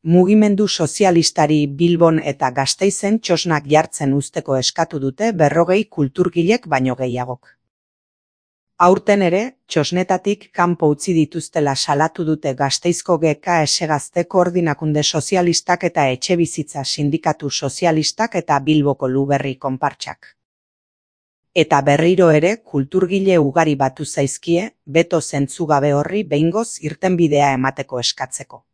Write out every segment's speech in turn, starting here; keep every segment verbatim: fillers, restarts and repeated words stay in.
Mugimendu sozialistari Bilbon eta Gasteizen txosnak jartzen uzteko eskatu dute berrogei kulturgilek baino gehiagok. Aurten ere, txosnetatik kanpo utzi dituztela salatu dute Gasteizko G K S Gazte Koordinakunde Sozialistak eta Etxebizitza Sindikatu Sozialistak eta Bilboko Luberri konpartsak. Eta berriro ere kulturgile ugari batu zaizkie, beto zentzugabe horri behingoz irtenbidea emateko eskatzeko.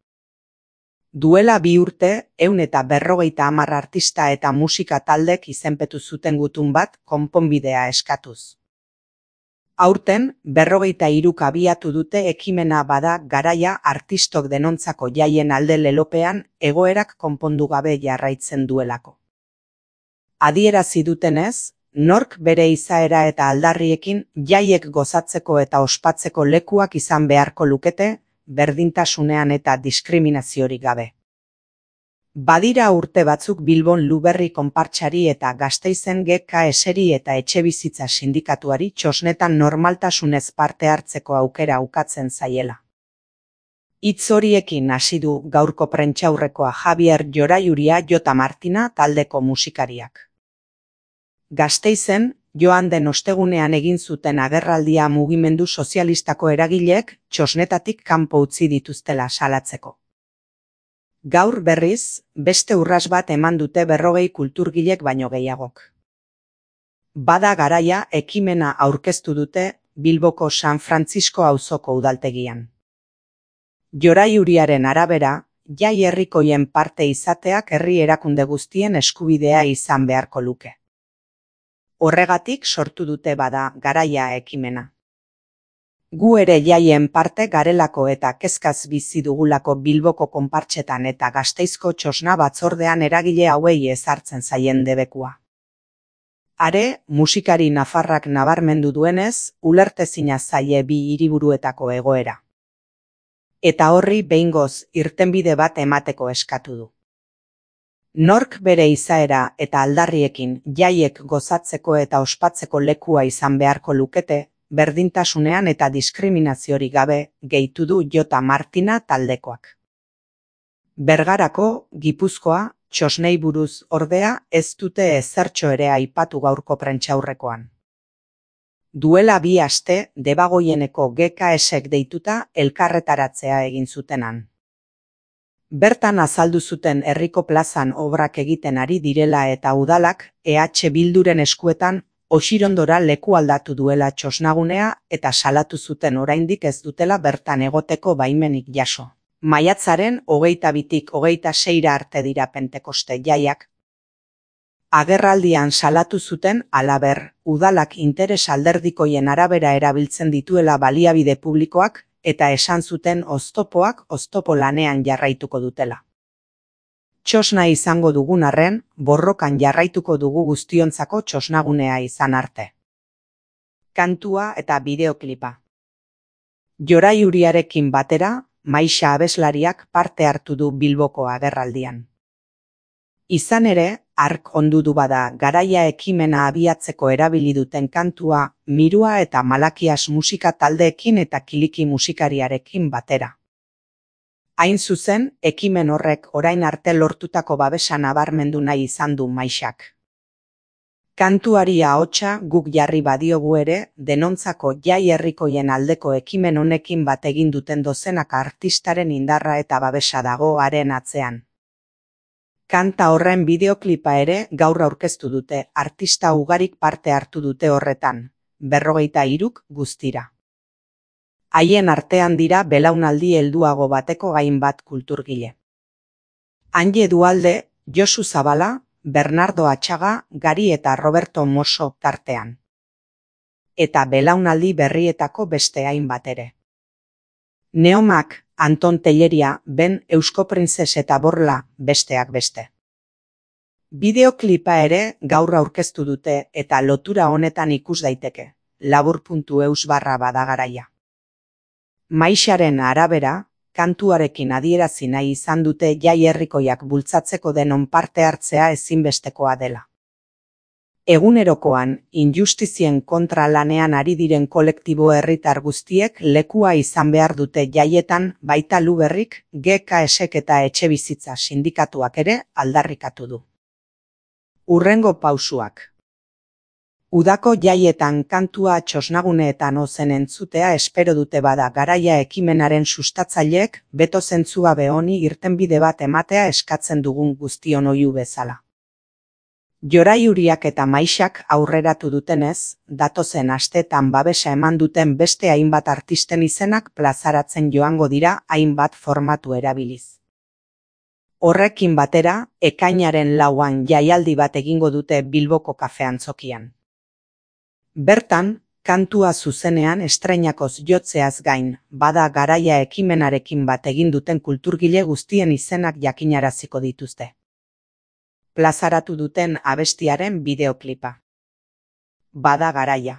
Duela bi urte, ehun eta berrogeita hamar artista eta musika taldek izenpetu zuten gutun bat konponbidea eskatuz. Aurten, berrogeita hiruk abiatu dute ekimena bada garaia artistok denontzako jaien alde lelopean egoerak konpondu gabe jarraitzen duelako. Adierazi dutenez, nork bere izaera eta aldarriekin jaiek gozatzeko eta ospatzeko lekuak izan beharko lukete, berdintasunean eta diskriminaziorik gabe. Badira urte batzuk Bilbon Luberri konpartsari eta Gasteizen G K S-ri eta Etxebizitza Sindikatuari txosnetan normaltasunez parte hartzeko aukera ukatzen zaiela. Hitz horiekin hasi du gaurko prentsaurrekoa Javier Joraiuria Jota Martina taldeko musikariak. Gasteizen, joan den ostegunean egin zuten agerraldia mugimendu sozialistako eragileek txosnetatik kanpo utzi dituztela salatzeko. Gaur berriz, beste urras bat eman dute berrogei kulturgilek baino gehiagok. Bada garaia ekimena aurkeztu dute Bilboko San Francisco auzoko udaltegian. Joraiuriaren arabera, jai herrikoien parte izateak herri erakunde guztien eskubidea izan beharko luke. Horregatik sortu dute bada garaia ekimena. Gu ere jaien parte garelako eta kezkaz bizi dugulako Bilboko konpartsetan eta Gasteizko txosna batzordean eragile hauei ezartzen zaien debekua. Are, musikari nafarrak nabarmendu duenez, ulertezina zaie bi hiriburuetako egoera. Eta horri behingoz irtenbide bat emateko eskatu du. Nork bere izaera eta aldarriekin jaiek gozatzeko eta ospatzeko lekua izan beharko lukete, berdintasunean eta diskriminaziorik gabe, gehitu du Jota Martina taldekoak. Bergarako, Gipuzkoa, txosnei buruz ordea ez dute ezertxo ere aipatu gaurko prentsaurrekoan. Duela bi aste, Debagoieneko G K S-ek deituta elkarretaratzea egin zutenan. Bertan azaldu zuten herriko plazan obrak egiten ari direla eta udalak E H Bilduren eskuetan Osirondora leku aldatu duela txosnagunea eta salatu zuten oraindik ez dutela bertan egoteko baimenik jaso. Maiatzaren hogeita bitik hogeita seira arte dira Pentekoste jaiak. Agerraldian salatu zuten halaber, udalak interes alderdikoien arabera erabiltzen dituela baliabide publikoak eta esan zuten oztopoak oztopo lanean jarraituko dutela. Txosna izango dugun arren, borrokan jarraituko dugu guztiontzako txosnagunea izan arte. Kantua eta bideoklipa. Joraiuriarekin batera, Maixa abeslariak parte hartu du Bilboko agerraldian. Izan ere, hark ondu du bada garaia ekimena abiatzeko erabili duten kantua, Mirua eta Malakias musika taldeekin eta Kiliki musikariarekin batera. Hain zuzen, ekimen horrek orain arte lortutako babesa nabarmendu nahi izan du Maixak. Kantuari ahotsa guk jarri badiogu ere, denontzako jai herrikoien aldeko ekimen honekin bat egin duten dozenaka artistaren indarra eta babesa dago haren atzean. Kanta horren bideoklipa ere gaur aurkeztu dute, artista ugarik parte hartu dute horretan, berrogeita hiruk guztira. Haien artean dira belaunaldi helduago bateko hainbat kulturgile. Anje Dualde, Josu Zabala, Bernardo Atxaga, Gari eta Roberto Mosso tartean. Eta belaunaldi berrietako beste hainbat ere. Neomak, Anton Telleria, Ben Eusko Printzes eta Borla, besteak beste. Bideoklipa ere gaur aurkeztu dute eta lotura honetan ikus daiteke, labur puntu eus barra badagaraia. Maixaren arabera, kantuarekin adierazi nahi izan dute jai herrikoiak bultzatzeko denon parte hartzea ezinbestekoa dela. Egunerokoan, injustizien kontra lanean ari diren kolektibo herritar guztiek lekua izan behar dute jaietan, baita Luberrik, G K S-ek eta Etxebizitza sindikatuak ere aldarrikatu du. Hurrengo pausuak. Udako jaietan kantua txosnaguneetan ozen entzutea espero dute bada Garaia ekimenaren sustatzaileek beto zentzugabe honi irtenbide bat ematea eskatzen dugun guztion oihu bezala. Joraiuriak eta Maixak aurreratu dutenez, datozen asteetan babesa eman duten beste hainbat artisten izenak plazaratzen joango dira hainbat formatu erabiliz. Horrekin batera, ekainaren lauan jaialdi bat egingo dute Bilboko kafe antzokian. Bertan, kantua zuzenean estreinakoz jotzeaz gain, bada Garaia ekimenarekin bat egin duten kulturgile guztien izenak jakinaraziko dituzte. Plazaratu duten abestiaren bideoklipa. Bada Garaia.